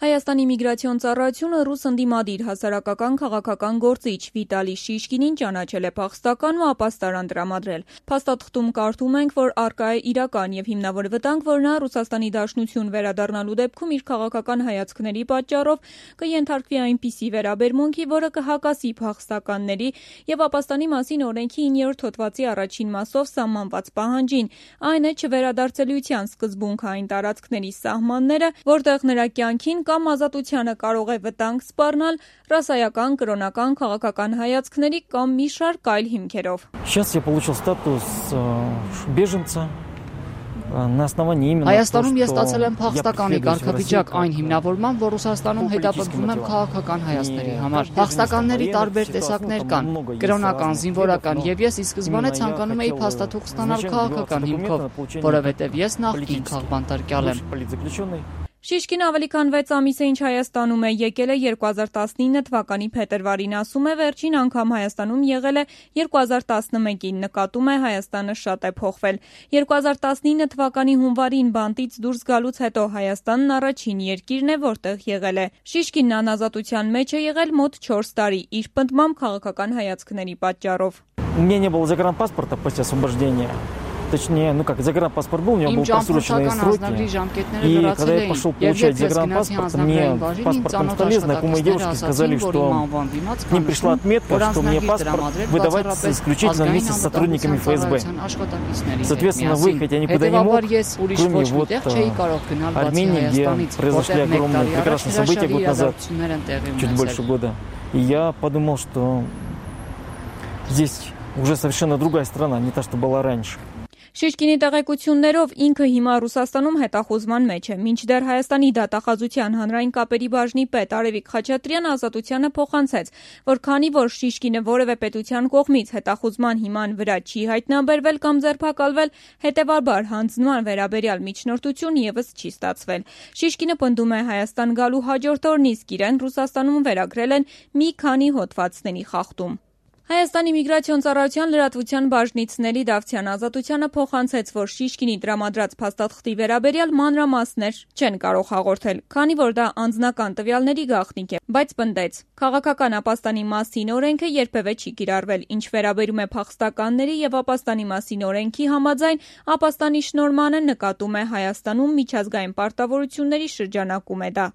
Հայաստանի միգրացիոն ծառայությունը ռուս ընդդիմադիր հասարակական քաղաքական գործիչ Վիտալի Շիշկինին ճանաչել է փախստական ու ապաստարան տրամադրել։ Փաստաթղթում կարդում ենք, որ առկա է իրական եւ հիմնավոր վտանգ, որ նա Ռուսաստանի Դաշնություն վերադառնալու դեպքում իր քաղաքական հայացքների պատճառով կենթարկվի այնպիսի վերաբերմունքի, որը կհակասի փախստականների եւ ապաստանի մասին օրենքի 9-րդ հոդվածի առաջին մասով սահմանված պահանջին, այն է չվերադարձելիության սկզբունքային տարածքների սահմանները, որտեղ նրա կյանքին կամ ազատությանը կարող է վտանգ սպառնալ ռասայական, կրոնական, քաղաքական հայացքների կամ մի շարք այլ հիմքերով։ Сейчас я получил статус беженца. Հայաստանում ես ստացել եմ փախստականի կարգավիճակ այն հիմնավորման, որ Ռուսաստանում հետապնդվում եմ քաղաքական հայացքների համար։ Փախստականների տարբեր տեսակներ կան՝ կրոնական, զինվորական, եւ ես ի սկզբանե ցանկանում էի փաստաթուղթ ստանալ քաղաքական հիմքով, որովհետեւ ես նախկին քաղբանտարկյալ եմ։ Շիշկինը ավելի քան 6 ամիս է ինչ Հայաստանում է, եկել է 2019 թվականի փետրվարին, ասում է վերջին անգամ Հայաստանում եղել է 2011-ին, նկատում է Հայաստանը շատ է փոխվել։ 2019 թվականի հունվարին բանտից դուրս գալուց հետո Հայաստանն առաջին երկիրն է, որտեղ եղել է։ Շիշկինն անազատության մեջ է եղել մոտ 4 տարի, իր պնդմամբ քաղաքական հայացքների պատճառով։ У меня не было загранпаспорта после освобождения. Точнее, загранпаспорт был, у него были просроченные сроки. И когда я пошел получать загранпаспорт, мне паспорт там столе знакомые девушки сказали, что к ним пришла отметка, что мне паспорт выдавать исключительно вместе с сотрудниками ФСБ. Соответственно, выехать я никуда не мог, кроме вот Армении, где произошли огромные прекрасные события год назад, чуть больше года. И я подумал, что здесь уже совершенно другая страна, не та, что была раньше. Շիշկինի տեղեկություններով ինքը հիմա Ռուսաստանում հետախուզման մեջ է, մինչդեռ Հայաստանի դատախազության հանրային կապերի բաժնի պետ Արևիկ Խաչատրյանը ազատությանը փոխանցեց, որ քանի որ Շիշկինը որևէ պետության կողմից հետախուզման հիման վրա չի հայտնաբերվել կամ ձերբակալվել, հետևաբար հանձնման վերաբերյալ միջնորդություն եւս չի ստացվել։ Շիշկինը պնդում է Հայաստան գալու հաջորդ օրն իսկ իրեն Ռուսաստանում վերագրել են մի քանի հոդվածների խախտում։ Հայաստանի միգրացիոն ծառայության լրատվության բաժնից Նելի Դավթյանը ազատությանը փոխանցեց, որ Շիշկինի տրամադրած փաստաթղթի վերաբերյալ մանրամասներ չեն կարող հաղորդել, քանի որ դա անձնական տվյալների գաղտնիք է, բայց պնդեց. քաղաքական ապաստանի մասին օրենքը երբևէ չի կիրառվել, ինչ վերաբերում է փախստականների եւ ապաստանի մասին օրենքի համաձայն, ապաստանի շնորհմանը նկատում է Հայաստանում միջազգային պարտավորությունների շրջանակում է դա։